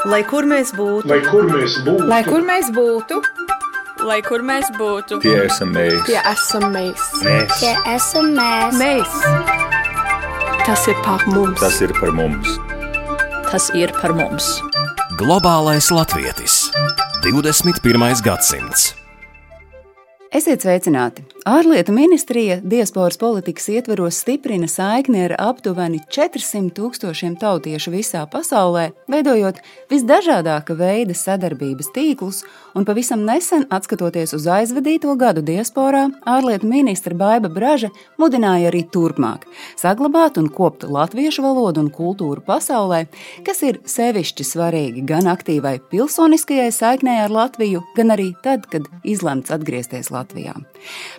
Lai kur mēs būtu, Lai kur mēs būtu, Lai kur mēs būtu, Lai kur mēs būtu, Tie esam mēs. tie esam mēs. Tie esam mēs. Mēs. Tas ir par mums. Tas ir par mums. tas ir par mums. Globālais latvietis. 21. gadsimts. Esiet sveicināti! Ārlietu ministrija diasporas politikas ietveros stiprina saikni ar aptuveni 400 000 tautiešu visā pasaulē, veidojot visdažādāka veida sadarbības tīklus, un pavisam nesen, atskatoties uz aizvadīto gadu diasporā, ārlietu ministra Baiba Braža mudināja arī turpmāk saglabāt un kopt latviešu valodu un kultūru pasaulē, kas ir sevišķi svarīgi gan aktīvai pilsoniskajai saiknei ar Latviju, gan arī tad, kad izlemts atgriezties Latvijā.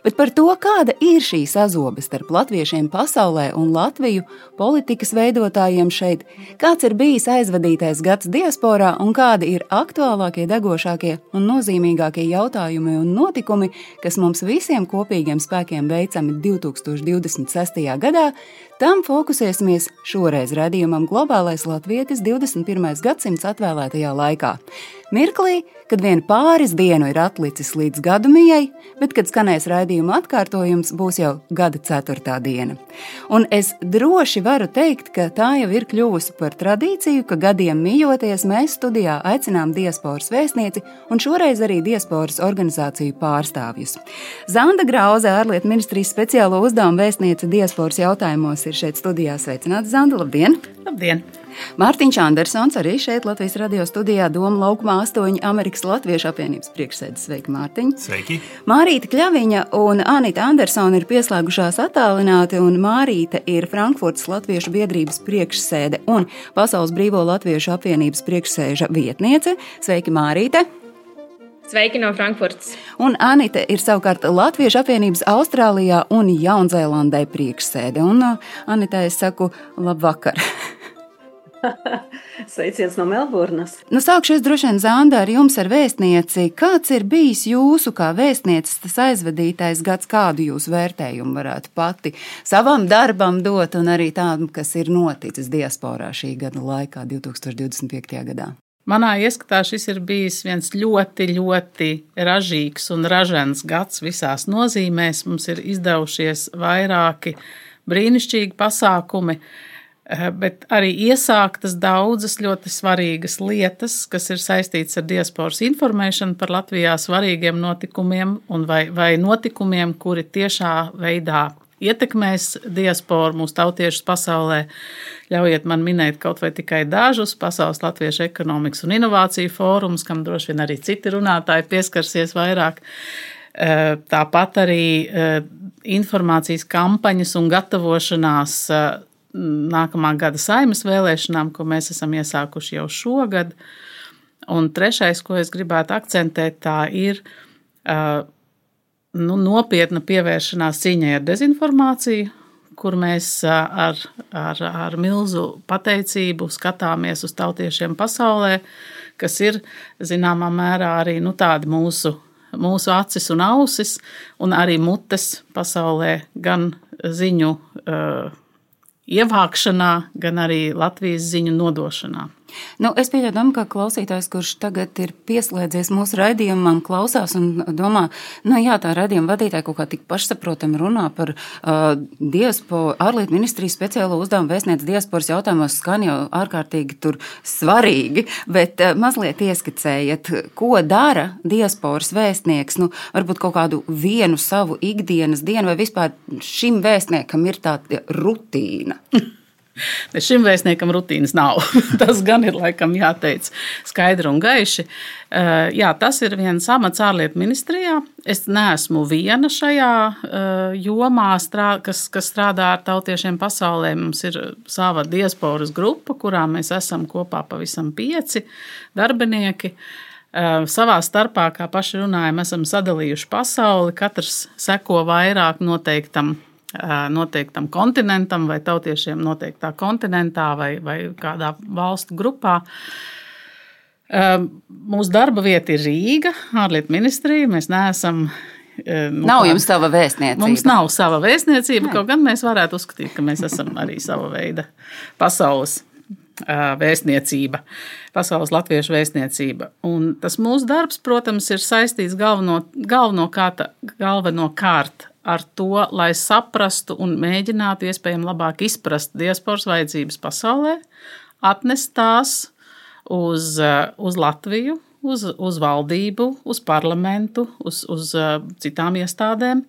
Bet par to, kāda ir šī sazobe starp latviešiem pasaulē un Latviju politikas veidotājiem šeit, kāds ir bijis aizvadītais gads diasporā un kādi ir aktuālākie, degošākie un nozīmīgākie jautājumi un notikumi, kas mums visiem kopīgiem spēkiem veicami 2026. gadā, tam fokusēsimies šoreiz raidījumam Globālais latvietis 21. gadsimts atvēlētajā laikā. Mirklī, kad vien pāris dienu ir atlicis līdz gadumijai, bet, kad skanēs raidījuma atkārtojums, būs jau gada 4. diena. Un es droši varu teikt, ka tā jau ir kļuvusi par tradīciju, ka gadiem mijoties mēs studijā aicinām diasporas vēstnieci un šoreiz arī diasporas organizāciju pārstāvjus. Zanda Grauze, ārlietu ministrijas speciālo uzdevumu vēstniece diasporas jautājumos, ir šeit studijā. Sveicināta, Zanda, labdien! Labdien! Mārtiņš Andersons arī šeit Latvijas radio studijā Doma laukumā 8 Amerikas Latviešu apvienības priekšsēdes. Sveiki, Mārtiņ! Sveiki! Mārīte Kļaviņa un Anita Andersona ir pieslēgušās attālināti, un Mārīte ir Frankfurtas Latviešu biedrības priekšsēde un Pasaules brīvo latviešu apvienības priekšsēža vietniece. Sveiki, Mārīte! Sveiki no Frankfurtas. Un Anita ir savukārt Latviešu apvienības Austrālijā un Jaunzēlandē priekšsēde. Un Anita, es saku labvakar! Sveiciens no Melburnas. Sākšu es droši vien, Zanda, ar jums ar vēstnieci. Kāds ir bijis jūsu kā vēstnieces tas aizvadītais gads, kādu jūs vērtējumu varētu pati savam darbam dot un arī tādam, kas ir noticis diasporā šī gada laikā, 2025. gadā? Manā ieskatā šis ir bijis viens ļoti, ļoti ražīgs un ražens gads visās nozīmēs. Mums ir izdevušies vairāki brīnišķīgi pasākumi, bet arī iesāktas daudzas ļoti svarīgas lietas, kas ir saistītas ar diasporas informēšanu par Latvijā svarīgiem notikumiem un vai notikumiem, kuri tiešā veidā ietekmēs diasporu, mūsu tautiešus pasaulē. Ļaujiet man minēt kaut vai tikai dažus: Pasaules latviešu ekonomikas un inovāciju fórums, kam droši vien arī citi runātāji pieskarsies vairāk. Tāpat arī informācijas kampaņas un gatavošanās nākamā gada Saeimas vēlēšanām, ko mēs esam iesākuši jau šogad. Un trešais, ko es gribētu akcentēt, tā ir nopietna pievēršanās cīņai ar dezinformāciju, kur mēs ar milzu pateicību skatāmies uz tautiešiem pasaulē, kas ir zināmā mērā arī tādi mūsu acis un ausis, un arī mutes pasaulē, gan ziņu ievākšanā, gan arī Latvijas ziņu nodošanā. Es pieļauju, ka klausītājs, kurš tagad ir pieslēdzies mūsu raidījumam, klausās un domā, tā raidījuma vadītāja kaut kā tik pašsaprotami runā par ārlietu ministrijas speciālo uzdevumu vēstniece diasporas jautājumos, skan jau ārkārtīgi tur svarīgi, bet mazliet ieskicējiet, ko dara diasporas vēstnieks, varbūt kaut kādu vienu savu ikdienas dienu, vai vispār šim vēstniekam ir tāda rutīna? Šim vēstniekam rutīnas nav. Tas gan ir laikam jāteic skaidri un gaiši. Jā, tas ir viens amats ārlietu ministrijā. Es neesmu viena šajā jomā, kas strādā ar tautiešiem pasaulē. Mums ir sava diasporas grupa, kurā mēs esam kopā pavisam 5 darbinieki. Savā starpā, kā paši runājam, esam sadalījuši pasauli. Katrs seko vairāk noteiktam kontinentam vai tautiešiem noteiktā kontinentā vai kādā valstu grupā. Mūsu darba vieta ir Rīga, ārlietu ministrija. Mēs neesam... Nav jums sava vēstniecība? Mums nav sava vēstniecība, kaut gan mēs varētu uzskatīt, ka mēs esam arī sava veida pasaules vēstniecība, Pasaules latviešu vēstniecība. Un tas mūsu darbs, protams, ir saistīts galvenokārt ar to, lai saprastu un mēģinātu iespējami labāk izprast diasporas vajadzības pasaulē, atnest tās uz Latviju, uz valdību, uz parlamentu, uz citām iestādēm,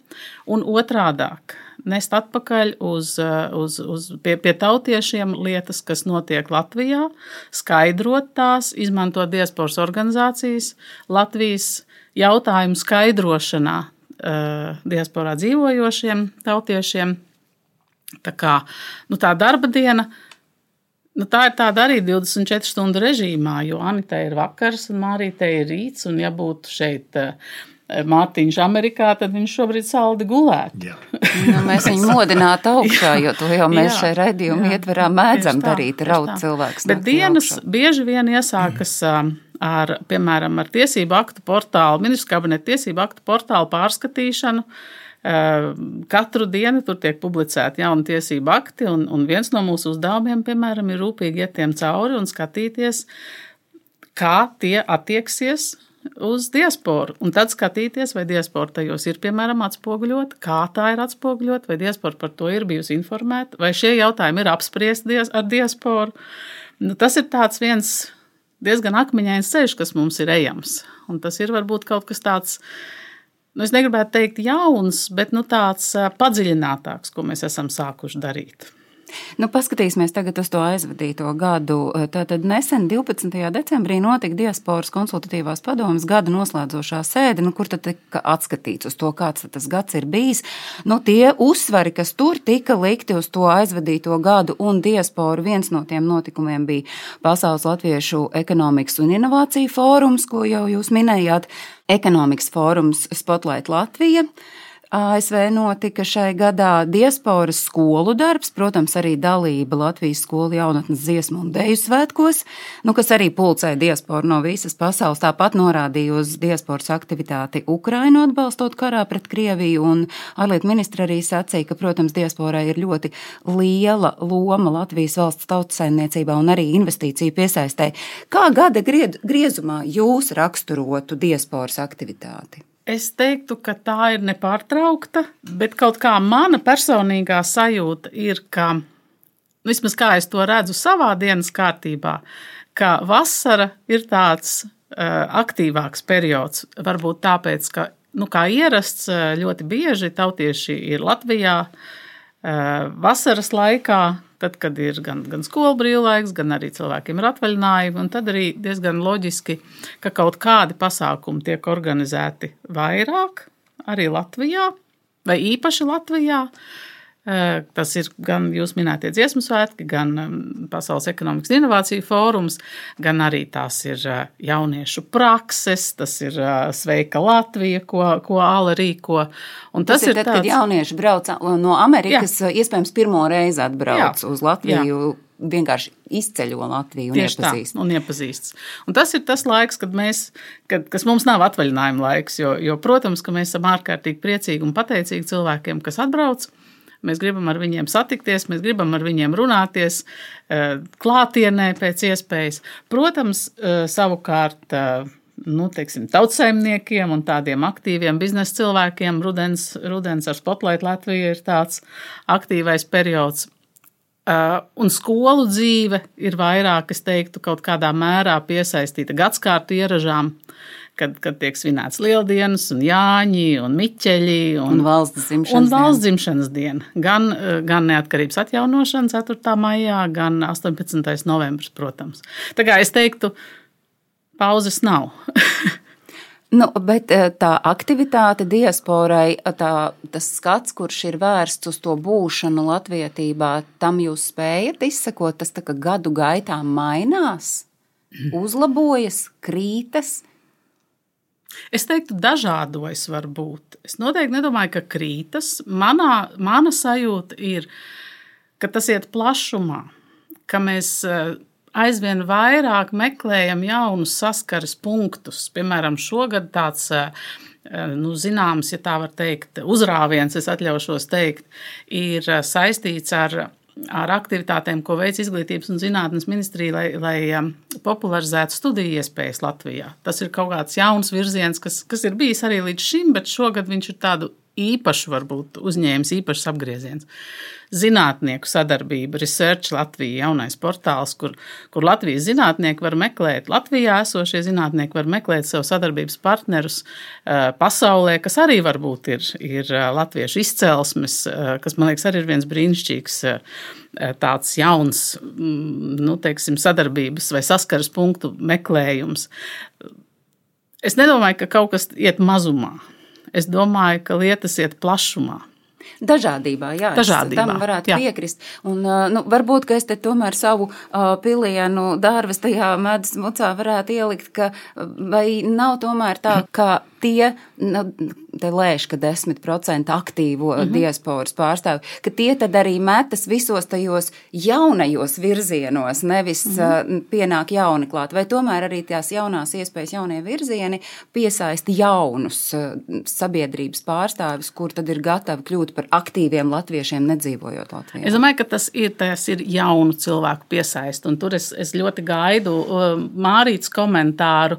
un otrādāk nest atpakaļ pie tautiešiem lietas, kas notiek Latvijā, skaidrot tās, izmantot diasporas organizācijas, Latvijas jautājumu skaidrošanā diasporā dzīvojošiem tautiešiem. Tā kā, tā darba diena, tā ir tāda arī 24 stundu režīmā, jo Anitai ir vakars un Mārītei ir rīts, un ja būtu šeit Mārtiņš Amerikā, tad viņš šobrīd saldi gulētu. Mēs viņu modinātu augšā, jo to jau mēs šai raidījuma ietverā mēdzam darīt, raut cilvēks. Bet dienas bieži vien iesākas piemēram, ar tiesību aktu portālu, ministru kabineta tiesību aktu portālu pārskatīšanu. Katru dienu tur tiek publicēti jauni tiesību akti, un viens no mūsu uzdevumiem, piemēram, ir rūpīgi iet tiem cauri un skatīties, kā tie attieksies uz diasporu. Un tad skatīties, vai diaspora tajos ir, piemēram, atspoguļota, kā tā ir atspoguļota, vai diaspora par to ir bijusi informēta, vai šie jautājumi ir apspriesti ar diasporu. Tas ir tāds viens diezgan akmeņains ceļš, kas mums ir ejams. Un tas ir varbūt kaut kas tāds, es negribētu teikt jauns, bet tāds padziļinātāks, ko mēs esam sākuši darīt. Paskatīsimies tagad uz to aizvadīto gadu. Tātad nesen 12. decembrī notika diasporas konsultatīvās padomes gada noslēdzošā sēde, kur tad tika atskatīts uz to, kāds tas gads ir bijis. Tie uzsvari, kas tur tika likti uz to aizvadīto gadu un diasporu, viens no tiem notikumiem bija Pasaules latviešu ekonomikas un inovāciju fórums, ko jau jūs minējāt, ekonomikas fórums Spotlight Latvija. ASV notika šai gadā diasporas skolu darbs, protams, arī dalība Latvijas skolu jaunatnes dziesmu un deju svētkos, kas arī pulcēja diasporu no visas pasaules. Tāpat norādīja uz diasporas aktivitāti Ukrainu atbalstot karā pret Krieviju, un ārlietu ministra arī sacīja, ka, protams, diasporai ir ļoti liela loma Latvijas valsts tautsaimniecībā un arī investīciju piesaistē. Kā gada griezumā jūs raksturotu diasporas aktivitāti? Es teiktu, ka tā ir nepārtraukta, bet kaut kā mana personīgā sajūta ir, ka, vismaz kā es to redzu savā dienas kārtībā, ka vasara ir tāds aktīvāks periods. Varbūt tāpēc, ka, kā ierasts, ļoti bieži tautieši ir Latvijā vasaras laikā, tad, kad ir gan skolu brīvlaiks, gan arī cilvēkiem ir atvaļinājumi, un tad arī diezgan loģiski, ka kaut kādi pasākumi tiek organizēti vairāk, arī Latvijā, vai īpaši Latvijā. Tas ir gan jūs minētie dziesmu svētki, gan Pasaules ekonomikas un inovāciju fórums, gan arī tās ir jauniešu prakses, tas ir Sveika Latvija, ko ALA rīko. Un tas ir tad, kad jaunieši brauc no Amerikas, iespējams pirmo reizi atbrauc uz Latviju, vienkārši izceļo Latviju un iepazīst. Un iepazīstas. Un tas ir tas laiks, kas mums nav atvaļinājuma laiks, jo, protams, ka mēs esam ārkārtīgi priecīgi un pateicīgi cilvēkiem, kas atbrauc. Mēs gribam ar viņiem satikties, mēs gribam ar viņiem runāties klātienē pēc iespējas. Protams, savukārt, tautsaimniekiem un tādiem aktīviem biznesa cilvēkiem rudens ar Spotlight Latviju ir tāds aktīvais periods. Un skolu dzīve ir vairāk, es teiktu, kaut kādā mērā piesaistīta gadskārtu ieražām, kad tiek svinēts Lieldienas un Jāņi un Miķeļi un valsts dzimšanas diena. Gan neatkarības atjaunošana 4. maijā, gan 18. novembris, protams. Tā kā es teiktu, pauzes nav. Bet tā aktivitāte diasporai, tas skats, kurš ir vērsts uz to būšanu latvietībā, tam jūs spējat izsekot, tas tā kā gadu gaitā mainās, uzlabojas, krītas? Es teiktu, dažādojas varbūt. Es noteikti nedomāju, ka krītas. Mana sajūta ir, ka tas iet plašumā, ka mēs aizvien vairāk meklējam jaunus saskares punktus. Piemēram, šogad tāds, zināms, ja tā var teikt, uzrāviens, es atļaušos teikt, ir saistīts ar ar aktivitātēm, ko veic Izglītības un zinātnes ministrija, lai popularizētu studiju iespējas Latvijā. Tas ir kaut kāds jauns virziens, kas ir bijis arī līdz šim, bet šogad viņš ir tādu īpašu, varbūt uzņēmis, īpašs apgrieziens. Zinātnieku sadarbība, Research Latvija, jaunais portāls, kur Latvijas zinātnieki var meklēt, Latvijā esošie zinātnieki var meklēt sev sadarbības partnerus pasaulē, kas arī varbūt ir latviešu izcelsmes, kas, man liekas, arī ir viens brīnišķīgs tāds jauns, teiksim, sadarbības vai saskaras punktu meklējums. Es nedomāju, ka kaut kas iet mazumā. Es domāju, ka lietas iet plašumā. Dažādībā, jā, tam varētu piekrist. Un, varbūt, ka es te tomēr savu pilienu dārvas tajā medus mucā varētu ielikt, ka vai nav tomēr tā, ka tie, te lēš, ka 10% aktīvo diasporas pārstāvi, ka tie tad arī metas visos tajos jaunajos virzienos, nevis pienāk jauni klāt, vai tomēr arī tās jaunās iespējas, jaunie virzieni piesaista jaunus sabiedrības pārstāvis, kur tad ir gatavi kļūt par aktīviem latviešiem, nedzīvojot Latvijā. Es domāju, ka tas ir jaunu cilvēku piesaist, un tur es ļoti gaidu Mārītas komentāru.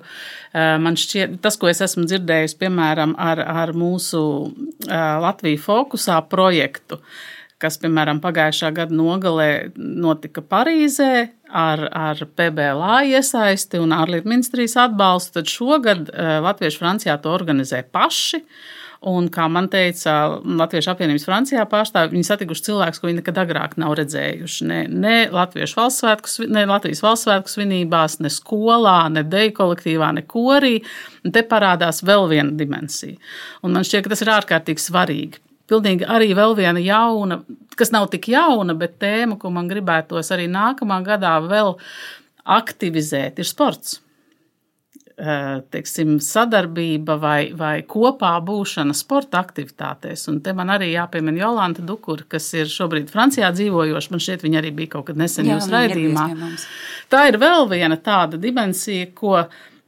Man šķiet, tas, ko es esmu dzirdējusi, piemēram, ar mūsu Latviju fokusā projektu, kas, piemēram, pagājušā gada nogalē notika Parīzē ar PBLA iesaisti un ārlietu ministrijas atbalstu, tad šogad Latvieši Francijā to organizē paši. Un, kā man teica Latviešu apvienības Francijā pārstāvi, viņi satikuši cilvēkus, ko viņi nekad agrāk nav redzējuši. Ne Latvijas valsts svētku svinībās, ne skolā, ne deju kolektīvā, ne korī. Un te parādās vēl viena dimensija. Un man šķiet, ka tas ir ārkārtīgi svarīgi. Pilnīgi arī vēl viena jauna, kas nav tik jauna, bet tēma, ko man gribētos arī nākamā gadā vēl aktivizēt, ir sports. Teiksim, sadarbība vai kopā būšana sporta aktivitātēs. Un te man arī jāpiemina Jolanta Dukura, kas ir šobrīd Francijā dzīvojoša. Man šķiet, viņa arī bija kaut kad nesen jūsu raidījumā. Tā ir vēl viena tāda dimensija,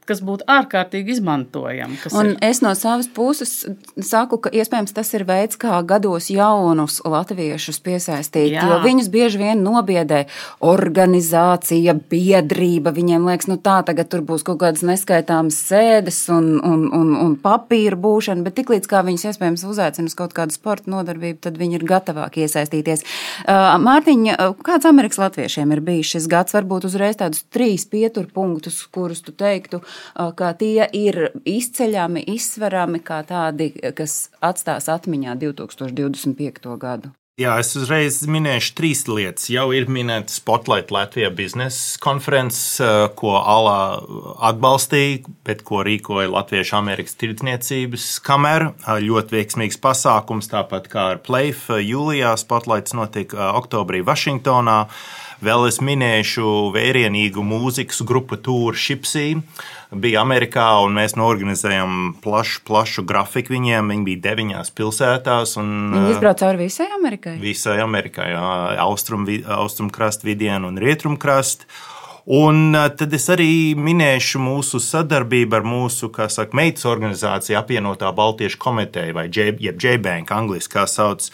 kas būtu ārkārtīgi izmantojama. Un es no savas puses saku, ka iespējams tas ir veids, kā gados jaunus latviešus piesaistīt, jo viņus bieži vien nobiedē organizācija, biedrība, viņiem liekas, tā tagad tur būs kaut kādas neskaitāmas sēdes un papīra būšana, bet tiklīdz kā viņus iespējams uzaicina uz kaut kādu sporta nodarbību, tad viņi ir gatavāk iesaistīties. Mārtiņa, kāds Amerikas latviešiem ir bijis šis gads? Varbūt uzreiz tādus 3 pieturpunktus, kurus tu teiktu, ka tie ir izceļami, izsverami kā tādi, kas atstās atmiņā 2025. gadu? Jā, es uzreiz minēšu 3 lietas. Jau ir minēta Spotlight Latvija biznesa konferences, ko ALA atbalstīja, bet ko rīkoja Latviešu Amerikas tirdzniecības kamera. Ļoti veiksmīgs pasākums, tāpat kā ar Playf jūlijā. Spotlights notika oktobrī Vašingtonā. Vēl es minēšu vērienīgu mūzikas grupu Tour Shipsy. Bija Amerikā, un mēs norganizējām plašu grafiku viņiem. Viņi bija 9 pilsētās. Viņi izbrauca cauri visai Amerikai? Visai Amerikai, jā. Austrumkrasta vidienu un rietrumkrasta. Un tad es arī minēšu mūsu sadarbību ar mūsu, kā saka, meitas organizāciju apvienotā Baltiešu komiteja, vai J-Bank, angliski kā sauc,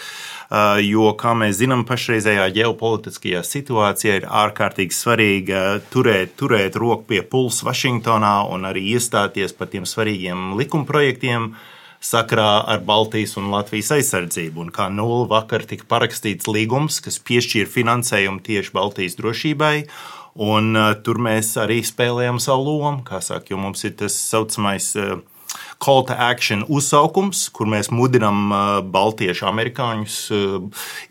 jo, kā mēs zinām, pašreizējā ģeopolitiskajā situācijā ir ārkārtīgi svarīgi turēt roku pie pulsa Vašingtonā un arī iestāties par tiem svarīgiem likumprojektiem sakarā ar Baltijas un Latvijas aizsardzību. Un kā vakar tika parakstīts līgums, kas piešķīra finansējumu tieši Baltijas drošībai, un tur mēs arī spēlējam savu lomu, kā saka, jo mums ir tas saucamais call to action uzsaukums, kur mēs mudinam baltiešu amerikāņus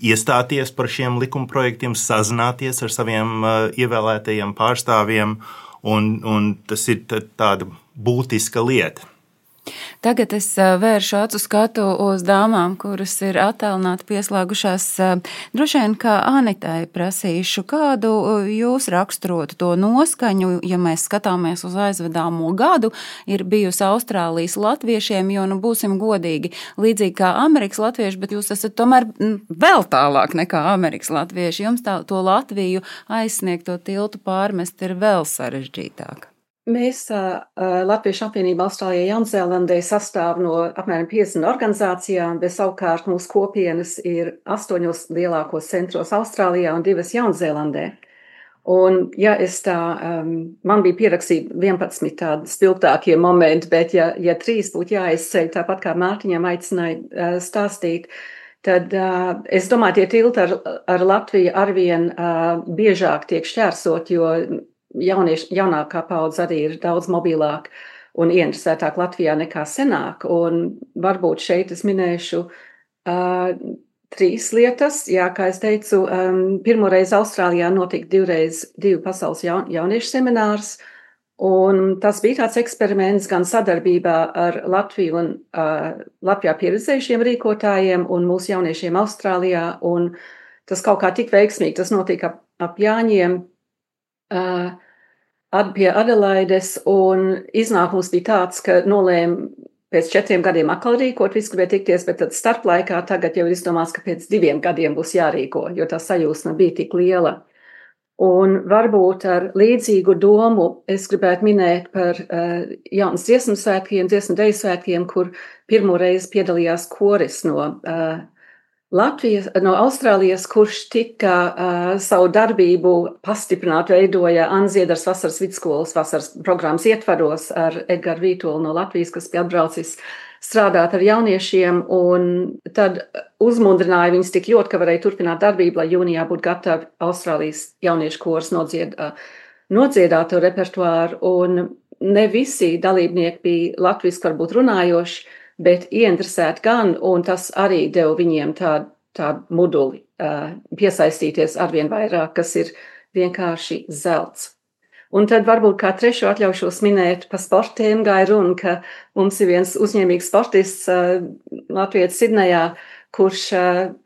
iestāties par šiem likumprojektiem, sazināties ar saviem ievēlētajiem pārstāvjiem, un tas ir tāda būtiska lieta. Tagad es vēršu acu skatu uz dāmām, kuras ir attālināti pieslēgušās. Droši vien, kā Anitai prasīšu, kādu jūs raksturotu to noskaņu, ja mēs skatāmies uz aizvedāmo gadu, ir bijusi Austrālijas latviešiem, jo, būsim godīgi, līdzīgi kā Amerikas latvieši, bet jūs esat tomēr vēl tālāk nekā Amerikas latvieši. Jums to Latviju aizsniegt, to tiltu pārmest ir vēl sarežģītāk. Mēs Latviešu apvienība Austrālijā Jaunzēlandē sastāv no apmēram 50 organizācijām, bet savukārt mūsu kopienas ir 8 lielākos centros Austrālijā un 2 Jaunzēlandē. Un, ja es man bija pierakstīti 11 tādi spilgtākie momenti, bet ja 3 būtu jāizceļ, tāpat kā Mārtiņam aicināja stāstīt, tad es domāju, tie tilti ar Latviju arvien biežāk tiek šķērsot, jo jaunākā paudze arī ir daudz mobilāk un ieinteresētāk Latvijā nekā senāk. Un varbūt šeit es minēšu 3 lietas. Jā, kā es teicu, pirmoreiz Austrālijā notika 2 pasaules jauniešu seminārs, un tas bija tāds eksperiments gan sadarbībā ar Latviju un Latvijā pieredzējušiem rīkotājiem un mūsu jauniešiem Austrālijā, un tas kaut kā tik veiksmīgi, tas notika ap Jāņiem pie Adelaides, un iznākums bija tāds, ka nolēma pēc 4 gadiem atkal rīkot, visi gribēja tikties, bet tad starplaikā tagad jau ir izdomāts, ka pēc 2 gadiem būs jārīko, jo tā sajūsma bija tik liela. Un varbūt ar līdzīgu domu es gribētu minēt par jaunas dziesmu svētkiem, dziesmu deju svētkiem, kur pirmo reizi piedalījās koris no Latvijas, no Austrālijas, kurš tika savu darbību pastiprināt veidoja Anziedars vasaras vidskolas vasaras programmas ietvaros ar Edgaru Vītolu no Latvijas, kas bija atbraucis strādāt ar jauniešiem, un tad uzmundrināja viņus tik ļoti, ka varēja turpināt darbību, lai jūnijā būtu gatavi Austrālijas jauniešu kors nodziedāt to repertuāru, un ne visi dalībnieki bija latviski varbūt runājoši, bet ieinteresēti gan, un tas arī deva viņiem tādu muduli piesaistīties arvien vairāk, kas ir vienkārši zelts. Un tad varbūt kā trešo atļaušos minēt pa sportiem gāja runa, ka mums ir viens uzņēmīgs sportists Latvijas Sidnejā, kurš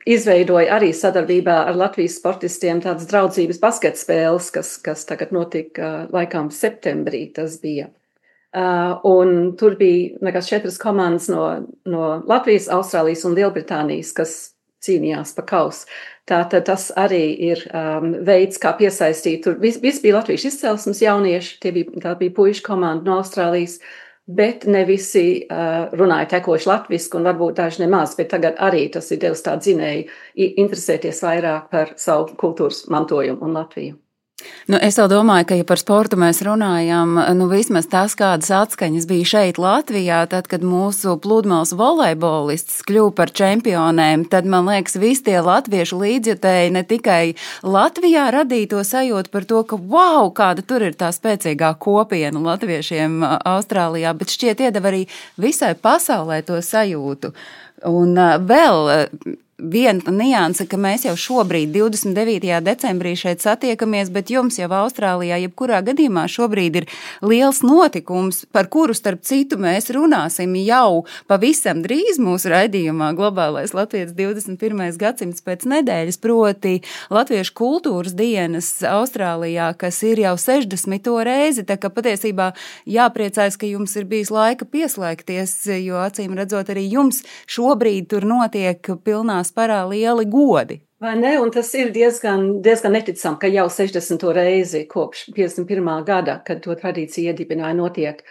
izveidoja arī sadarbībā ar Latvijas sportistiem tādas draudzības basketspēles, kas tagad notika laikam septembrī tas bija. Un tur bija 4 komandas no Latvijas, Austrālijas un Lielbritānijas, kas cīnījās pa kausu. Tātad tas arī ir veids, kā piesaistīt. Tur viss bija latviešu izcelsmes jaunieši, tā bija puišu komanda no Austrālijas, bet ne visi runāja tekoši latviski un varbūt daži nemaz, bet tagad arī tas ir devis tādu zinēju interesēties vairāk par savu kultūras mantojumu un Latviju. Es vēl domāju, ka, ja par sportu mēs runājam, vismaz tās, kādas atskaņas bija šeit Latvijā, tad, kad mūsu pludmales volejbolists kļuva par čempionēm, tad, man liekas, visi tie latviešu līdzjutēji ne tikai Latvijā radīja to sajūtu par to, ka, wow, kāda tur ir tā spēcīgā kopiena latviešiem Austrālijā, bet šķiet iedeva arī visai pasaulē to sajūtu. Un vēl viena nianse, ka mēs jau šobrīd 29. decembrī šeit satiekamies, bet jums jau Austrālijā jebkurā gadījumā šobrīd ir liels notikums, par kuru starp citu mēs runāsim jau pavisam drīz mūsu raidījumā Globālais Latvijas 21. gadsimts pēc nedēļas, proti Latviešu kultūras dienas Austrālijā, kas ir jau 60. reizi, tā ka patiesībā jāpriecājas, ka jums ir bijis laika pieslēgties, jo acīm redzot arī jums šobrīd tur notiek pilnā parā lieli godi. Vai ne? Un tas ir diezgan neticam, ka jau 60. reizi kopš 51. gada, kad to tradīciju iedibināja, notiek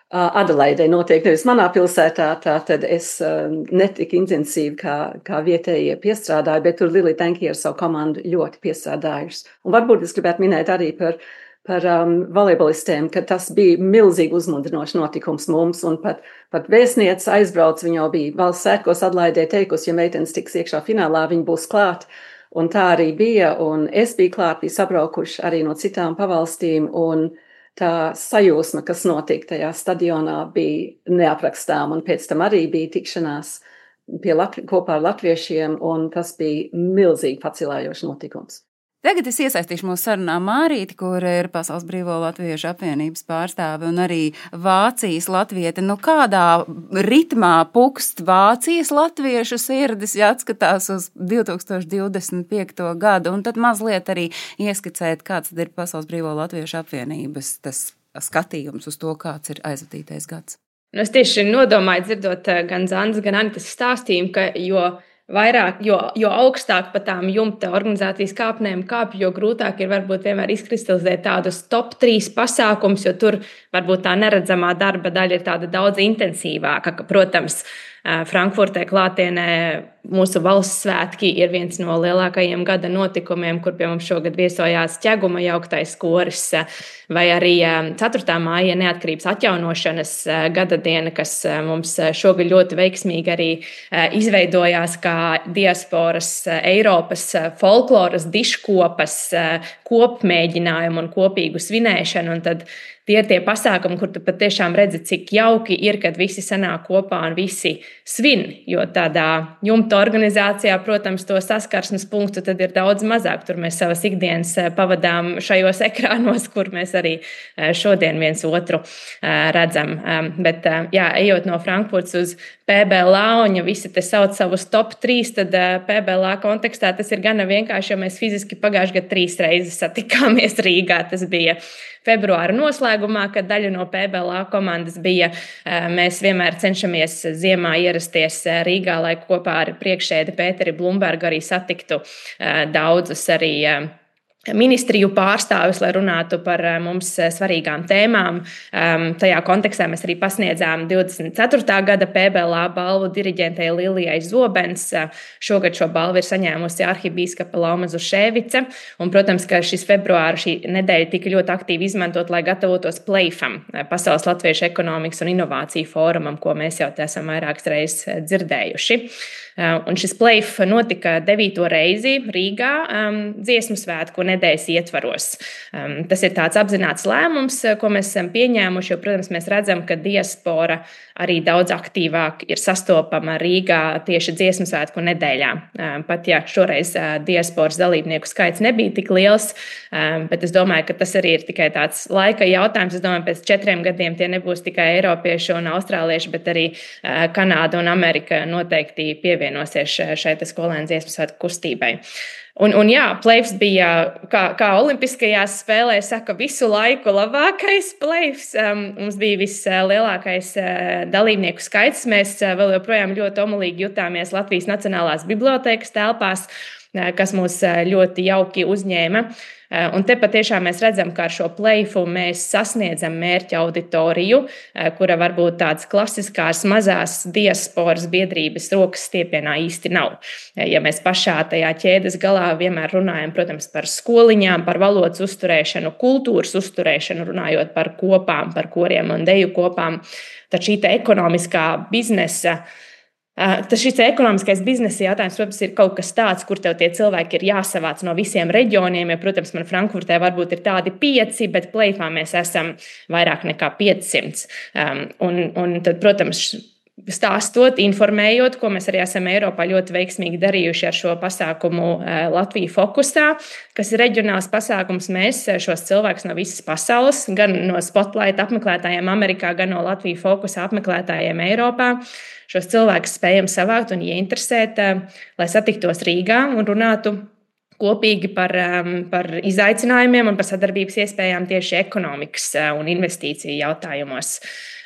Adelaidē, notiek nevis manā pilsētā, tad es netik intensīvi kā vietējie piestrādāju, bet tur Lili Tenki ar savu komandu ļoti piestrādājuši. Un varbūt es gribētu minēt arī par volejbolistiem, ka tas bija milzīgi uzmundrinošs notikums mums, un pat vēstniece aizbrauc, viņa jau bija valsts svētkos Adelaidē teikusi, ja meitenes tiks iekšā finālā, viņa būs klāt, un tā arī bija, un es biju klāt, bija sabraukuši arī no citām pavalstīm, un tā sajūsma, kas notika tajā stadionā, bija neaprakstām, un pēc tam arī bija tikšanās kopā ar latviešiem, un tas bija milzīgi pacilājošs notikums. Tagad es iesaistīšu mūsu sarunā Mārīti, kur ir Pasaules Brīvo Latviešu apvienības pārstāve un arī Vācijas latviete. Kādā ritmā pukst Vācijas latviešu sirdis, ja atskatās uz 2025. gadu, un tad mazliet arī ieskicēt, kāds tad ir Pasaules Brīvo Latviešu apvienības tas skatījums uz to, kāds ir aizvadītais gads. Es tieši nodomāju dzirdot gan Zandas, gan Anitas stāstījumu, jo vairāk, jo augstāk pa tām jumta organizācijas kāpnēm kāpj, jo grūtāk ir varbūt vienmēr izkristalizēt tādus top 3 pasākums, jo tur varbūt tā neredzamā darba daļa ir tāda daudz intensīvāka. Protams, Frankfurtē klātienē mūsu valsts svētki ir viens no lielākajiem gada notikumiem, kur pie mums šogad viesojās ķeguma jauktais koris, vai arī 4. māja neatkarības atjaunošanas gada diena, kas mums šogad ļoti veiksmīgi arī izveidojās kā diasporas Eiropas folkloras diškopas kopmēģinājumu un kopīgu svinēšanu. Un tad tie ir tie pasākumi, kur tu patiešām redzi, cik jauki ir, kad visi sanāk kopā un visi svin, jo tādā jumta organizācijā, protams, to saskarsmes punktu tad ir daudz mazāk. Tur mēs savas ikdienas pavadām šajos ekrānos, kur mēs arī šodien viens otru redzam. Bet, jā, ejot no Frankfurts uz PBLA, un ja visi te sauc savus top 3, tad PBLA kontekstā tas ir gana vienkārši, jo mēs fiziski pagājušajā gadā 3 reizes satikāmies Rīgā. Tas bija februāra noslēgumā, kad daļa no PBLA komandas bija. Mēs vienmēr cenšamies ziemā ierasties Rīgā, lai kopā ar priekšsēdi Pēteri Blumbergu arī satiktu daudzus arī ministriju pārstāvis, lai runātu par mums svarīgām tēmām. Tajā kontekstā mēs arī pasniedzām 24. gada PBLA balvu diriģentei Lilijai Zobens. Šogad šo balvu ir saņēmusi arhibīskapa Lauma Zuševica. Un, protams, ka šī nedēļa tika ļoti aktīvi izmantot, lai gatavotos PLAIF-am, Pasaules Latviešu ekonomikas un inovāciju fórumam, ko mēs jau esam vairākas reizes dzirdējuši. Un šis PLAIF notika 9. reizi Rīgā dziesmu svētku nedēļas ietvaros. Tas ir tāds apzināts lēmums, ko mēs esam pieņēmuši, jo, protams, mēs redzam, ka diaspora arī daudz aktīvāk ir sastopama Rīgā tieši dziesmu svētku nedēļā. Pat ja šoreiz diasporas dalībnieku skaits nebija tik liels, bet es domāju, ka tas arī ir tikai tāds laika jautājums. Es domāju, pēc 4 gadiem tie nebūs tikai eiropieši un austrālieši, bet arī Kanāda un Amerika noteikti pievienosies šai skolēnu dziesmu svētku kustībai. Un jā, PLAIFs bija, kā olimpiskajās spēlēs saka, visu laiku labākais PLAIFs. Mums bija vislielākais dalībnieku skaits. Mēs vēl joprojām ļoti omulīgi jutāmies Latvijas Nacionālās bibliotēkas telpās, kas mūs ļoti jauki uzņēma. Un te patiešām mēs redzam, ka ar šo PLAIFu mēs sasniedzam mērķa auditoriju, kura varbūt tādas klasiskās mazās diasporas biedrības rokas stiepienā īsti nav. Ja mēs pašā tajā ķēdes galā vienmēr runājam, protams, par skoliņām, par valodas uzturēšanu, kultūras uzturēšanu, runājot par kopām, par koriem un deju kopām, tad šī ekonomiskā biznesa šis ekonomiskais biznesa jautājums, protams, ir kaut kas tāds, kur tev tie cilvēki ir jāsavāc no visiem reģioniem. Ja, protams, man Frankfurtē varbūt ir tādi 5, bet PLAIFā mēs esam vairāk nekā 500. Un tad, protams, stāstot, informējot, ko mēs arī esam Eiropā ļoti veiksmīgi darījuši ar šo pasākumu Latviju fokusā, kas ir reģionāls pasākums. Mēs šos cilvēkus no visas pasaules, gan no Spotlight apmeklētājiem Amerikā, gan no Latviju fokusā apmeklētājiem Eiropā, šos cilvēkus spējam savākt un ieinteresēt, lai satiktos Rīgā un runātu kopīgi par izaicinājumiem un par sadarbības iespējām tieši ekonomikas un investīciju jautājumos.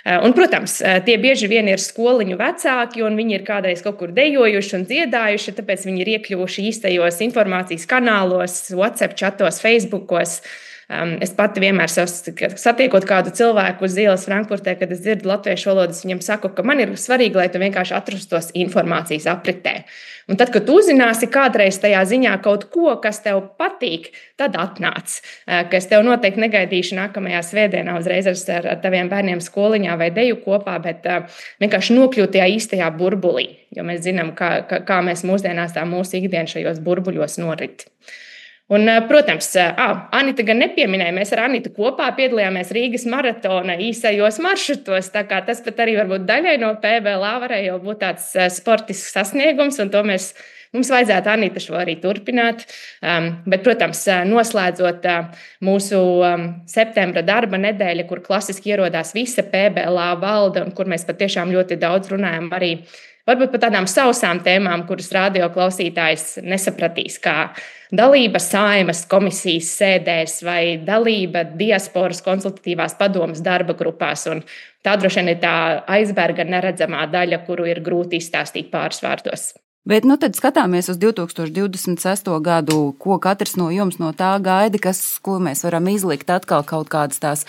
Un, protams, tie bieži vien ir skoliņu vecāki, un viņi ir kādreiz kaut kur dejojuši un dziedājuši, tāpēc viņi ir iekļuvuši īstajos informācijas kanālos, WhatsApp čatos, Facebookos. Es pati vienmēr satiekot kādu cilvēku uz ielas Frankfurtē, kad es dzirdu latviešu valodas, viņam saku, ka man ir svarīgi, lai tu vienkārši atrastos informācijas apritē. Un tad, kad tu uzzināsi kādreiz tajā ziņā kaut ko, kas tev patīk, tad atnāc, ka es tev noteikti negaidīšu nākamajā svētdienā uzreiz ar taviem bērniem skoliņā vai deju kopā, bet vienkārši nokļūt tajā īstajā burbulī, jo mēs zinām, kā mēs mūsdienās tā mūsu ikdiena šajos burbuļos norit. Un, protams, Anita gan nepieminēja, mēs ar Anitu kopā piedalījāmies Rīgas maratona īsajos maršrutos, tā kā tas pat arī varbūt daļai no PBLA varēja jau būt tāds sportisks sasniegums, un to mums vajadzētu Anita šo arī turpināt. Bet, protams, noslēdzot mūsu septembra darba nedēļa, kur klasiski ierodās visa PBLA valde, un kur mēs patiešām ļoti daudz runājam arī varbūt par tādām sausām tēmām, kuras radio klausītājs nesapratīs, kā dalība Saeimas komisijas sēdēs vai dalība diasporas konsultatīvās padomas darba grupās. Un tā droši vien ir tā aizberga neredzamā daļa, kuru ir grūti izstāstīt pāris vārdos. Bet tad skatāmies uz 2026. gadu, ko katrs no jums no tā gaida, ko mēs varam izlikt atkal kaut kādas tās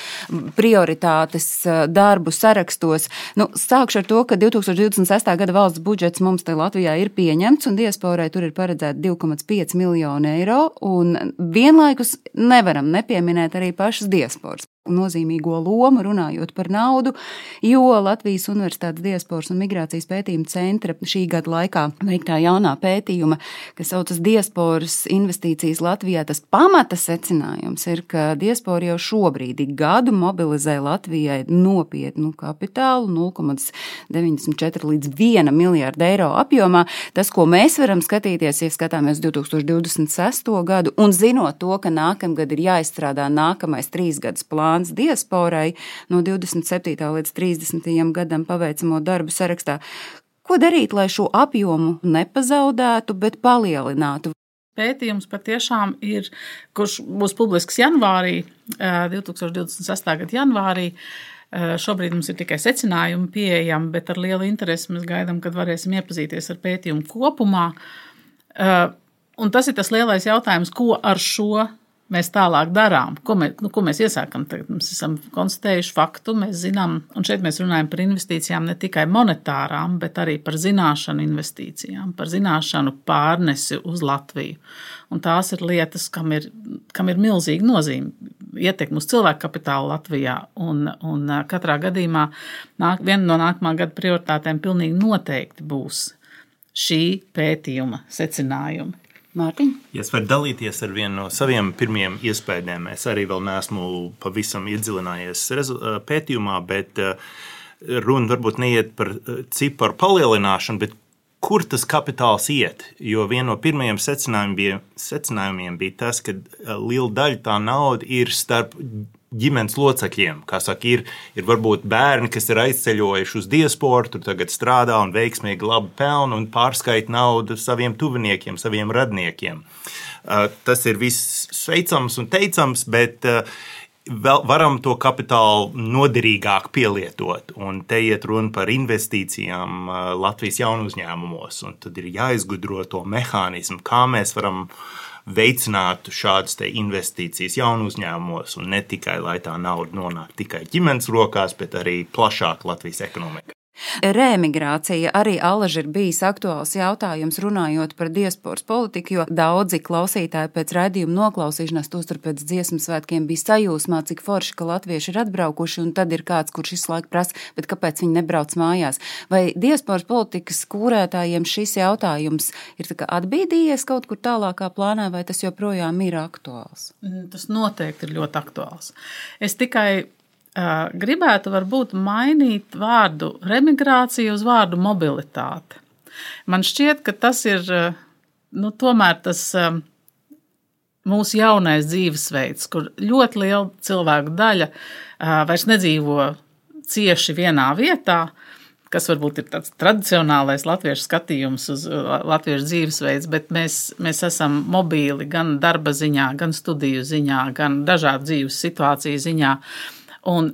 prioritātes darbu sarakstos. Sākšu ar to, ka 2026. gada valsts budžets mums te Latvijā ir pieņemts un diasporai tur ir paredzēta 2,5 miljoni eiro un vienlaikus nevaram nepieminēt arī pašas diasporas nozīmīgo lomu runājot par naudu, jo Latvijas Universitātes diasporas un migrācijas pētījuma centra šī gada laikā veiktā jaunā pētījuma, kas saucas diasporas investīcijas Latvijā, tas pamata secinājums ir, ka diaspora jau šobrīd gadu mobilizē Latvijai nopietnu kapitālu 0,94 līdz 1 miljārdu eiro apjomā. Tas, ko mēs varam skatīties, ja skatāmies 2026. gadu un zinot to, ka nākamgad ir jāizstrādā nākamais 3 gadus plāns diasporai no 27. līdz 30. gadam paveicamo darbu sarakstā. Ko darīt, lai šo apjomu nepazaudētu, bet palielinātu? Pētījums patiešām ir, kurš būs publisks janvārī, 2026. gada janvārī. Šobrīd mums ir tikai secinājumi pieejami, bet ar lielu interesi mēs gaidām, kad varēsim iepazīties ar pētījumu kopumā. Un tas ir tas lielais jautājums, ko ar šo mēs tālāk darām, ko mēs iesākam. Tagad mēs esam konstatējuši faktu, mēs zinām, un šeit mēs runājam par investīcijām ne tikai monetārām, bet arī par zināšanu investīcijām, par zināšanu pārnesi uz Latviju. Un tās ir lietas, kam ir milzīga nozīme, ietekme uz cilvēku kapitālu Latvijā. Un katrā gadījumā viena no nākamā gada prioritātēm pilnīgi noteikti būs šī pētījuma secinājumi. Mārtiņ? Ja es varu dalīties ar vienu no saviem pirmiem iespējām, es arī vēl neesmu pavisam iedzilinājies pētījumā, bet runa varbūt neiet par ciparu palielināšanu, bet kur tas kapitāls iet? Jo viena no pirmajiem secinājumiem bija tas, ka liela daļa tā nauda ir starp ģimenes locekļiem. Kā saka, ir varbūt bērni, kas ir aizceļojuši uz diasporu, tur tagad strādā un veiksmīgi labi pelna un pārskaita naudu saviem tuviniekiem, saviem radniekiem. Tas ir viss sveicams un teicams, bet vēl varam to kapitālu noderīgāk pielietot. Un te iet runa par investīcijām Latvijas jaunu uzņēmumos. Un tad ir jāizgudro to mehānismu, kā mēs varam veicinātu šādas investīcijas jaunu uzņēmumos un ne tikai, lai tā nauda nonāk tikai ģimenes rokās, bet arī plašāk Latvijas ekonomikā. Reemigrācija arī alaži ir bijis aktuāls jautājums runājot par diasporas politiku, jo daudzi klausītāji pēc raidījuma noklausīšanās, tostarp pēc dziesmu svētkiem, bija sajūsmā, cik forši, ka latvieši ir atbraukuši, un tad ir kāds, kurš visu laiku prasa, bet kāpēc viņi nebrauc mājās? Vai diasporas politikas kūrētājiem šis jautājums ir tā kā atbīdījies kaut kur tālākā plānā, vai tas joprojām ir aktuāls? Tas noteikti ir ļoti aktuāls. Es tikai gribētu varbūt mainīt vārdu remigrācija uz vārdu mobilitāte. Man šķiet, ka tas ir tomēr tas mūsu jaunais dzīvesveids, kur ļoti liela cilvēku daļa vairs nedzīvo cieši vienā vietā, kas varbūt ir tāds tradicionālais latviešu skatījums uz latviešu dzīvesveids, bet mēs esam mobīli gan darba ziņā, gan studiju ziņā, gan dažādu dzīves situāciju ziņā. Un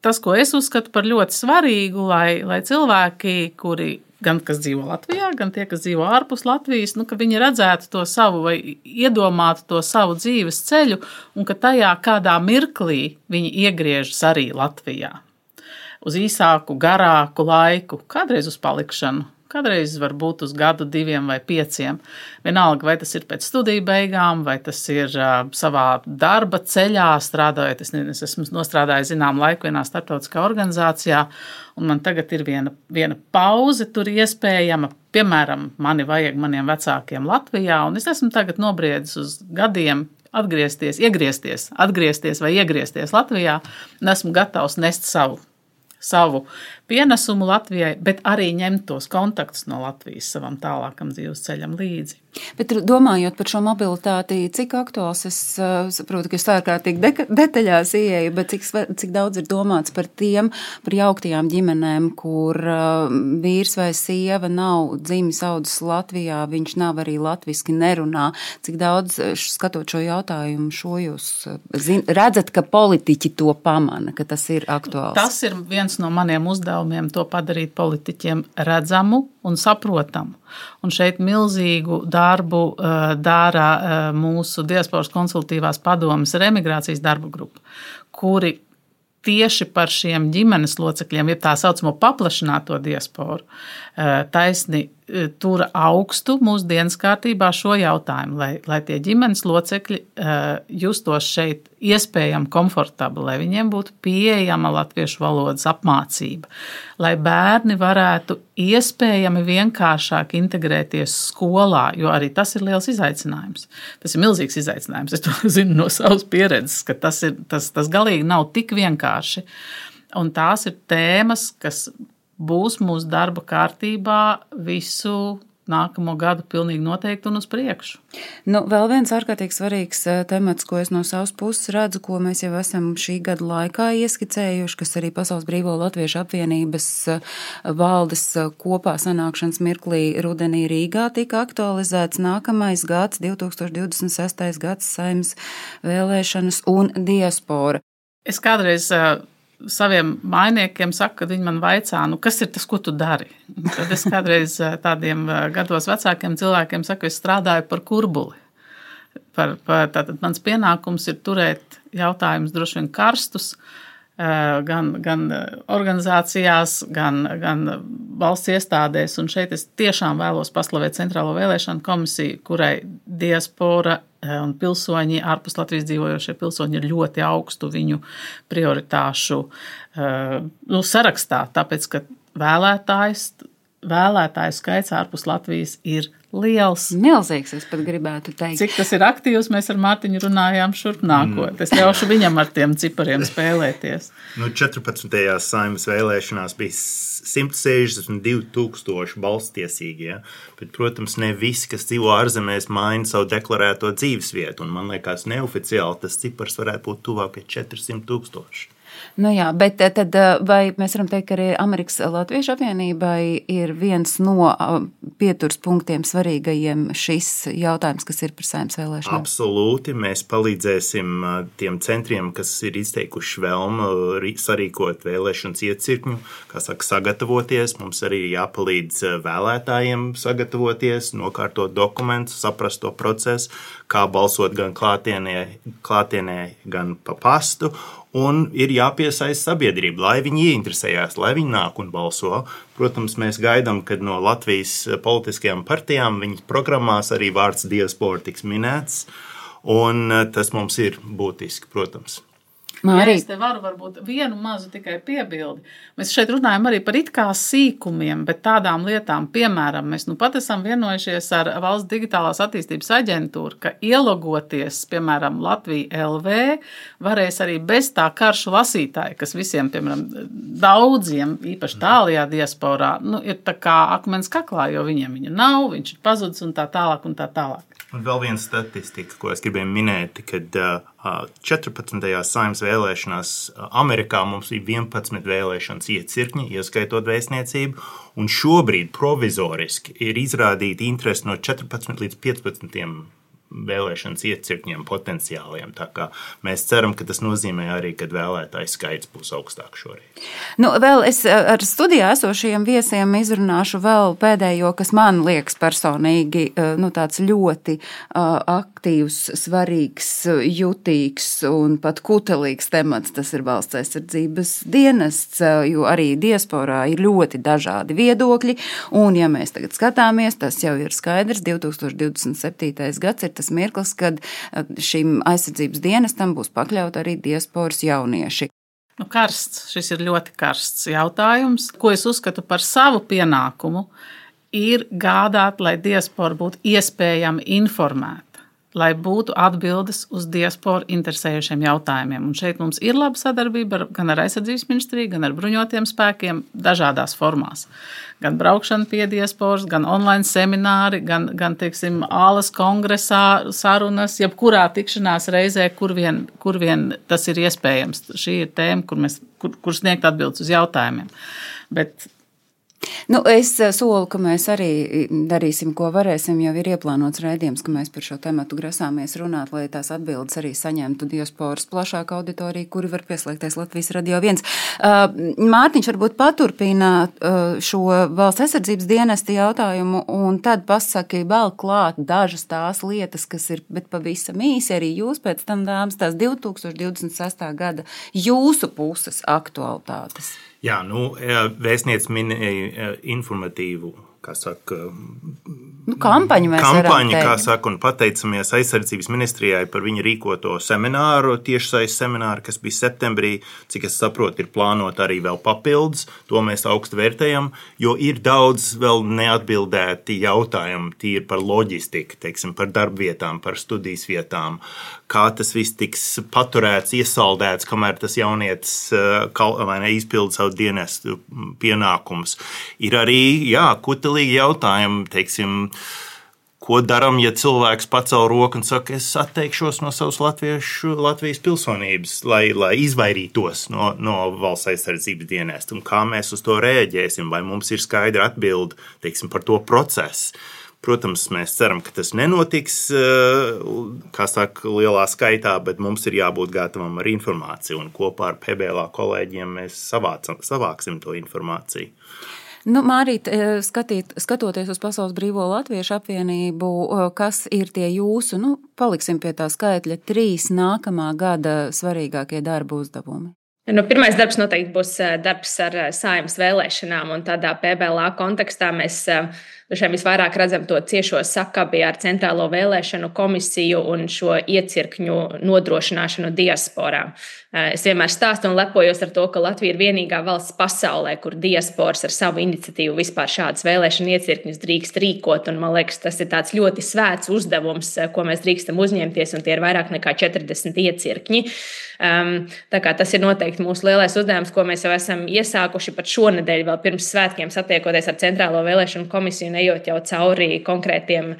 tas, ko es uzskatu par ļoti svarīgu, lai cilvēki, kuri gan kas dzīvo Latvijā, gan tie, kas dzīvo ārpus Latvijas, ka viņi redzētu to savu vai iedomātu to savu dzīves ceļu un ka tajā kādā mirklī viņi iegriežas arī Latvijā. Uz īsāku, garāku laiku, kādreiz uz palikšanu. Kādreiz var būt uz gadu, 2 vai 5. Vienalga, vai tas ir pēc studiju beigām, vai tas ir savā darba ceļā strādājot. Es esmu nostrādājis zinām laiku vienā starptautiskā organizācijā, un man tagad ir viena pauze tur iespējama. Piemēram, mani vajag maniem vecākiem Latvijā, un es esmu tagad nobriedis uz gadiem atgriezties vai iegriezties Latvijā, un esmu gatavs nest savu pienesumu Latvijai, bet arī ņemt tos kontaktus no Latvijas savam tālākam dzīves ceļam līdzi. Bet domājot par šo mobilitāti, cik aktuāls, es saprotu, ka es ārkārtīgi detaļās ieeju, bet cik daudz ir domāts par jauktajām ģimenēm, kur vīrs vai sieva nav dzimis audzis Latvijā, viņš nav arī latviski nerunā. Cik daudz, skatot šo jautājumu, jūs redzat, ka politiķi to pamana, ka tas ir aktuāls? Tas ir viens no maniem uzdevumiem, to padarīt politiķiem redzamu, un saprotamu. Un šeit milzīgu darbu dara mūsu diasporas konsultatīvās padomes ar emigrācijas darba grupu, kuri tieši par šiem ģimenes locekļiem, ja tā saucamo paplašināto diasporu, taisni tura augstu mūsu dienas kārtībā šo jautājumu, lai tie ģimenes locekļi justos šeit iespējami komfortabli, lai viņiem būtu pieejama latviešu valodas apmācība, lai bērni varētu iespējami vienkāršāk integrēties skolā, jo arī tas ir liels izaicinājums. Tas ir milzīgs izaicinājums. Es to zinu no savas pieredzes, ka tas galīgi nav tik vienkārši. Un tās ir tēmas, kas būs mūsu darba kārtībā visu nākamo gadu pilnīgi noteikti un uz priekšu. Vēl viens ārkārtīgi svarīgs temats, ko es no savas puses redzu, ko mēs jau esam šī gada laikā ieskicējuši, kas arī Pasaules Brīvo Latviešu apvienības valdes kopā sanākšanas mirklī rudenī Rīgā tika aktualizēts nākamais gads, 2026. gads, Saeimas vēlēšanas un diaspora. Es kādreiz saviem mainiekiem saku, kad viņi man vaicā, kas ir tas, ko tu dari? Tad es kādreiz tādiem gados vecākiem cilvēkiem saku, es strādāju par kurbuli. Tātad mans pienākums ir turēt jautājumus droši vien karstus, gan organizācijās, gan valsts iestādēs. Un šeit es tiešām vēlos paslavēt Centrālo vēlēšanu komisiju, kurai diaspora un pilsoņi, ārpus Latvijas dzīvojošie pilsoņi ir ļoti augstu viņu prioritāšu sarakstā, tāpēc, ka vēlētāju skaits ārpus Latvijas ir liels. Milzīgs, es pat gribētu teikt. Cik tas ir aktīvs, mēs ar Mārtiņu runājām šurp nākot. Es ļaušu viņam ar tiem cipariem spēlēties. 14. Saeimas vēlēšanās bija 162,000 balsstiesīgie, bet, protams, ne visi, kas dzīvo ārzemēs, maina savu deklarēto dzīvesvietu, un man liekas neoficiāli tas cipars varētu būt tuvāk pie 400,000. Jā, bet tad vai mēs varam teikt, ka arī Amerikas Latviešu apvienībai ir viens no pieturas punktiem svarīgajiem šis jautājums, kas ir par Saeimas vēlēšanām? Absolūti. Mēs palīdzēsim tiem centriem, kas ir izteikuši vēlmu sarīkot vēlēšanas iecirkņu, kā saka, sagatavoties. Mums arī jāpalīdz vēlētājiem sagatavoties, nokārtot dokumentus, saprast to procesu, kā balsot gan klātienē, gan pa pastu. Un ir jāpiesaista sabiedrība, lai viņi ieinteresējās, lai viņi nāk un balso. Protams, mēs gaidām, kad no Latvijas politiskajām partijām viņas programmās arī vārds diaspora tiks minēts, un tas mums ir būtiski, protams. Ja es te varu varbūt vienu mazu tikai piebildi. Mēs šeit runājam arī par it kā sīkumiem, bet tādām lietām, piemēram, mēs pat esam vienojušies ar Valsts digitālās attīstības aģentūru, ka ielogoties, piemēram, Latvija LV, varēs arī bez tā karšu lasītāja, kas visiem, piemēram, daudziem, īpaši tālajā diasporā, ir tā kā akmens kaklā, jo viņiem viņa nav, viņš ir pazudis un tā tālāk un tā tālāk. Un vēl viena statistika, ko es gribēju minēt, kad 14. Saeimas vēlēšanās Amerikā mums bija 11 vēlēšanas iecirkņi, ieskaitot vēstniecību, un šobrīd provizoriski ir izrādīta interese no 14 līdz 15 vēlēšanas iecirkņiem potenciāliem. Tā kā mēs ceram, ka tas nozīmē arī, ka vēlētāju skaits būs augstāk šorīt. Vēl es ar studijā esošajiem viesiem izrunāšu vēl pēdējo, kas man liekas personīgi tāds ļoti aktīvs, svarīgs, jutīgs un pat kutelīgs temats. Tas ir valsts aizsardzības dienests, jo arī diasporā ir ļoti dažādi viedokļi. Un, ja mēs tagad skatāmies, tas jau ir skaidrs, 2027. gads ir tas mirklis, kad šim aizsardzības dienestam būs pakļaut arī diasporas jaunieši. Karsts, šis ir ļoti karsts jautājums. Ko es uzskatu par savu pienākumu, ir gādāt, lai diaspora būtu iespējami informēta, lai būtu atbildes uz diasporu interesējušiem jautājumiem. Un šeit mums ir laba sadarbība gan ar aizsardzības ministriju, gan ar bruņotiem spēkiem dažādās formās. Gan braukšana pie diasporas, gan online semināri, gan teiksim, ālas kongresā sarunas, jebkurā tikšanās reizē, kur vien tas ir iespējams. Šī ir tēma, kur sniegt atbildes uz jautājumiem. Bet Es solu, ka mēs arī darīsim, ko varēsim. Jau ir ieplānots raidījums, ka mēs par šo tematu grasāmies runāt, lai tās atbildes arī saņemtu diasporas plašāku auditoriju, kuri var pieslēgties Latvijas Radio 1. Mārtiņš varbūt paturpina šo valsts aizsardzības dienesta jautājumu un tad pasaki vēl klāt dažas tās lietas, kas ir, bet pavisam īsi arī jūs pēc tam, dāmas, tās 2026. gada jūsu puses aktualitātes. Jā, vēstniece minēja informatīvu, kā saka, kampaņu mēs varam teikt. Kā saka, un pateicamies aizsardzības ministrijai par viņu rīkoto semināru, tiešsaistes semināru, kas bija septembrī, cik es saprotu, ir plānot arī vēl papildus, to mēs augstu vērtējam, jo ir daudz vēl neatbildēti jautājumi tīri par loģistiku, teiksim, par darbvietām, par studijas vietām, kā tas viss tiks paturēts, iesaldēts, kamēr tas jaunietis izpilda savu dienestu pienākumus. Ir arī, kutelīgi jautājumi, teiksim, ko daram, ja cilvēks pacel roku un saka, es atteikšos no savas Latvijas pilsonības, lai izvairītos no valsts aizsardzības dienesta, un kā mēs uz to rēģēsim, vai mums ir skaidra atbilde, teiksim, par to procesu. Protams, mēs ceram, ka tas nenotiks, kā saka, lielā skaitā, bet mums ir jābūt gatavam ar informāciju, un kopā ar PBLA kolēģiem mēs savāksim to informāciju. Mārīt, skatoties uz Pasaules Brīvo Latviešu apvienību, kas ir tie jūsu, paliksim pie tā skaitļa, 3 nākamā gada svarīgākie darba uzdevumi? Pirmais darbs noteikti būs darbs ar Saeimas vēlēšanām, un tādā PBLA kontekstā mēs visvairāk redzam to ciešo sakabi ar Centrālo vēlēšanu komisiju un šo iecirkņu nodrošināšanu diasporā. Es vienmēr stāstu un lepojos ar to, ka Latvija ir vienīgā valsts pasaulē, kur diasporas ar savu iniciatīvu vispār šādas vēlēšanu iecirkņus drīkst rīkot, un man liekas, tas ir tāds ļoti svēts uzdevums, ko mēs drīkstam uzņemties, un tie ir vairāk nekā 40 iecirkņi. Tā kā tas ir noteikti mūsu lielais uzdevums, ko mēs jau esam iesākuši pat šonedēļ, vēl pirms svētkiem satiekoties ar Centrālo vēlēšanu komisiju, ejot jau cauri konkrētiem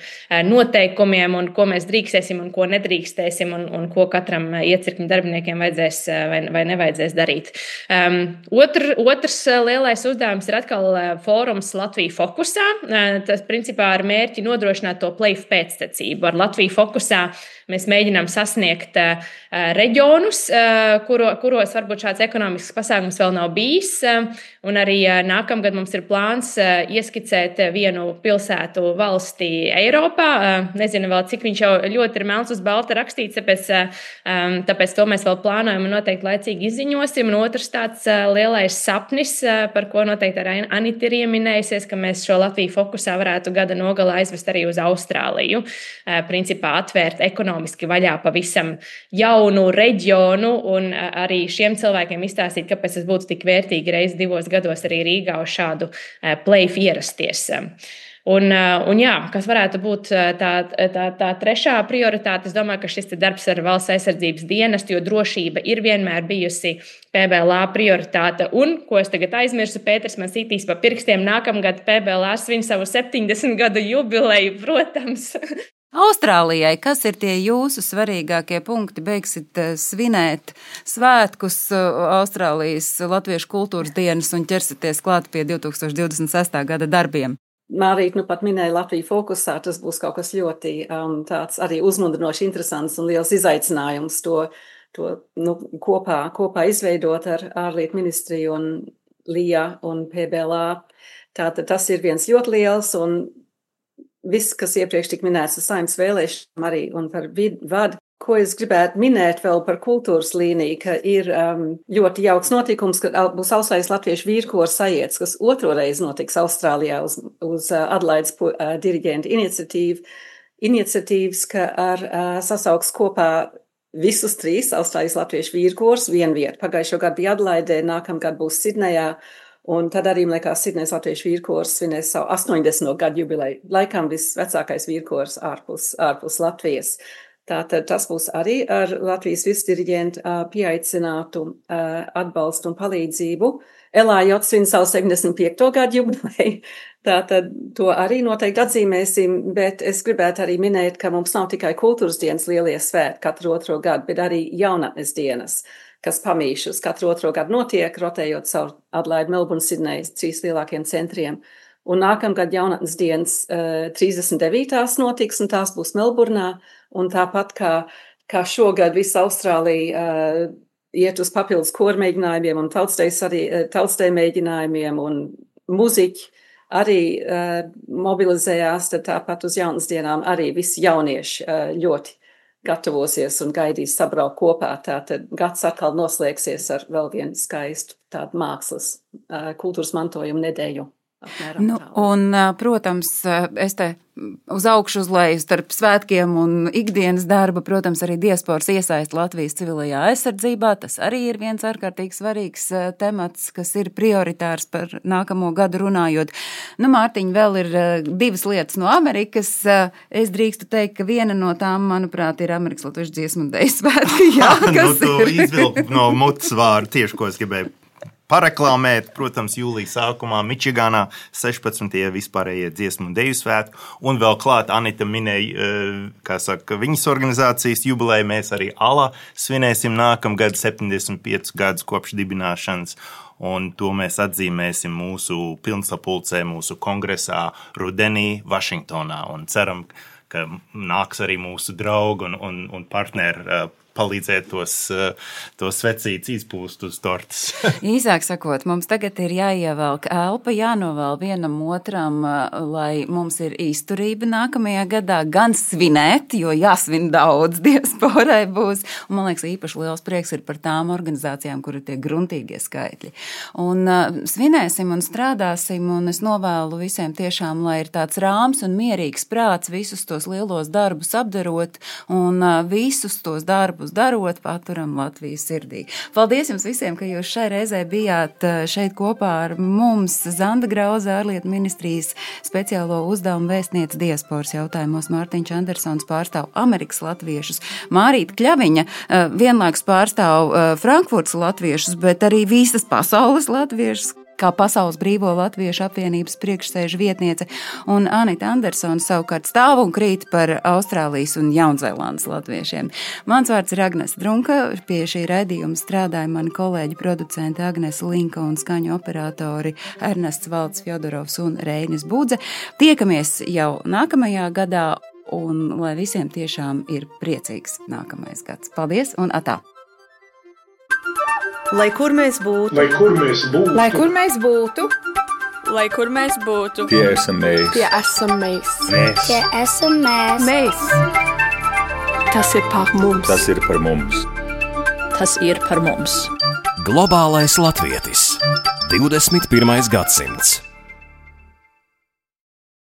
noteikumiem, un ko mēs drīkstēsim un ko nedrīkstēsim, un ko katram iecirkņu darbiniekiem vajadzēs vai nevajadzēs darīt. Otrs lielais uzdevums ir atkal fórums Latvija fokusā. Tas principā ar mērķi nodrošināt to PLEIF pēctecību. Ar Latviju fokusā mēs mēģinām sasniegt reģionus, kuros varbūt šāds ekonomisks pasākums vēl nav bijis. Un arī nākamgad mums ir plāns ieskicēt vienu pilsētu valstī Eiropā. Nezinu vēl, cik viņš jau ļoti ir melns uz balta rakstīts, tāpēc to mēs vēl plānojam un noteikti laicīgi izziņosim. Un otrs tāds lielais sapnis, par ko noteikti arī Anita ir ieminējusies, ka mēs šo Latviju fokusā varētu gada nogalā aizvest arī uz Austrāliju. Principā atvērt ekonomiski vaļā pavisam jaunu reģionu un arī šiem cilvēkiem izstāstīt, kāpēc tas būtu tik vērtīgi reiz 2 gados arī Rīgā uz šādu PLEIF ierasties. Un jā, kas varētu būt tā trešā prioritāte, es domāju, ka šis darbs ar valsts aizsardzības dienestu, jo drošība ir vienmēr bijusi PBLA prioritāte. Un, ko es tagad aizmirsu, Pēters man sitīs pa pirkstiem, nākamgad PBLA svin savu 70 gadu jubileju, protams. Austrālijai, kas ir tie jūsu svarīgākie punkti? Beigsit svinēt svētkus Austrālijas Latviešu kultūras dienas un ķersities klāt pie 2026. gada darbiem. Mārīt, pat minēja Latviju fokusā, tas būs kaut kas ļoti tāds arī uzmundrinoši interesants un liels izaicinājums to kopā izveidot ar ārlietu ministriju un LIA un PBLA. Tātad tas ir viens ļoti liels un viss, kas iepriekš tik minēts ar Saeimas vēlēšanām arī un par vadu. Ko es gribētu minēt vēl par kultūras līniju, ka ir ļoti jauks notikums, ka būs Austrālijas Latviešu vīrkora sajiets, kas otro reizi notiks Austrālijā uz Adelaides diriģenta iniciatīvas, ka sasauks kopā visus 3 Austrālijas Latviešu vīrkors vienviet. Pagājušo gadu bija Adelaidē, nākamgad būs Sidnejā. Un tad arī, liekas, Sidnejas Latviešu vīrkors svinēs savu 80. gadu jubileju. Laikam visvecākais vīrkors ārpus Latvijas. Tātad tas būs arī ar Latvijas virsdiriģentu pieaicinātu atbalstu un palīdzību. LAJ svin savu 75. gadu jubileju. Tātad to arī noteikti atzīmēsim, bet es gribētu arī minēt, ka mums nav tikai kultūras dienas lielie svētki katru otro gadu, bet arī jaunatnes dienas. kas pamīšus katru otro gadu notiek, rotējot caur Adlaidu, Melburnu, Sidneju, 3 lielākiem centriem. Un nākamgad jaunatnes dienas 39. notiks, un tās būs Melburnā, un tāpat kā šogad visa Austrālija iet uz papildus koru mēģinājumiem un tautsteju mēģinājumiem, un muziķi arī mobilizējās, tad tāpat uz jaunatnes dienām arī visi jaunieši ļoti gatavosies un gaidīs sabraukt kopā. Tātad gads atkal noslēgsies ar vēl vienu skaistu tādu mākslas kultūras mantojumu nedēļu. Nu, un, protams, es te uz augšu uz leju starp svētkiem un ikdienas darba, protams, arī diasporas iesaist Latvijas civilajā aizsardzībā. Tas arī ir viens ārkārtīgi svarīgs temats, kas ir prioritārs par nākamo gadu runājot. Nu, Mārtiņ, vēl ir 2 lietas no Amerikas. Es drīkstu teikt, ka viena no tām, manuprāt, ir Amerikas Latviešu dziesmu un deju svētki. Jā, kas tu izvilki no mutes vārdu tieši, ko es gribēju pareklamēt, protams, jūlija sākumā Mičigānā 16. vispārējie dziesmu un deju svētki, un vēl klāt Anita minēja, kā saka, viņas organizācijas jubileju, mēs arī ALA svinēsim nākamgad 75 gadus kopš dibināšanas, un to mēs atzīmēsim mūsu pilnsapulcē, mūsu kongresā rudenī Vašingtonā, un ceram, ka nāks arī mūsu draugi un partneri palīdzēt tos svecītes izpūst uz tortes. Īsāk sakot, mums tagad ir jāievelk elpa, jānovēl vienam otram, lai mums ir izturība nākamajā gadā, gan svinēt, jo jāsvin daudz, diasporai būs. Un, man liekas, īpaši liels prieks ir par tām organizācijām, kur ir tie gruntīgie skaitļi. Un svinēsim un strādāsim, un es novēlu visiem tiešām, lai ir tāds rāms un mierīgs prāts visus tos lielos darbus apdarot, un visus tos darbus darot, paturam Latvijas sirdī. Paldies jums visiem, ka jūs šai reizē bijāt šeit kopā ar mums. Zanda Grauze, ārlietu ministrijas speciālo uzdevumu vēstniece diasporas jautājumos, Mārtiņš Andersons pārstāv Amerikas latviešus, Mārīta Kļaviņa vienlaikus pārstāv Frankfurtas latviešus, bet arī visas pasaules latviešus, kā Pasaules brīvo latviešu apvienības priekšsēžu vietniece, un Anita Andersona savukārt stāv un krīt par Austrālijas un Jaunzēlandes latviešiem. Mans vārds ir Agnes Drunka, pie šī raidījuma strādāja mani kolēģi producenti Agnes Linka un skaņu operatori Ernests Valds Fjodorovs un Reinis Budze. Tiekamies jau nākamajā gadā, un lai visiem tiešām ir priecīgs nākamais gads. Paldies un atā! Lai kur mēs būtu, Lai kur mēs būtu, lai kur mēs būtu, lai kur mēs būtu, Tie esam mēs. tie esam mēs. Tie esam mēs. Mēs. Tas ir par mums. Tas ir par mums. tas ir par mums. Globālais latvietis. 21. gadsimts.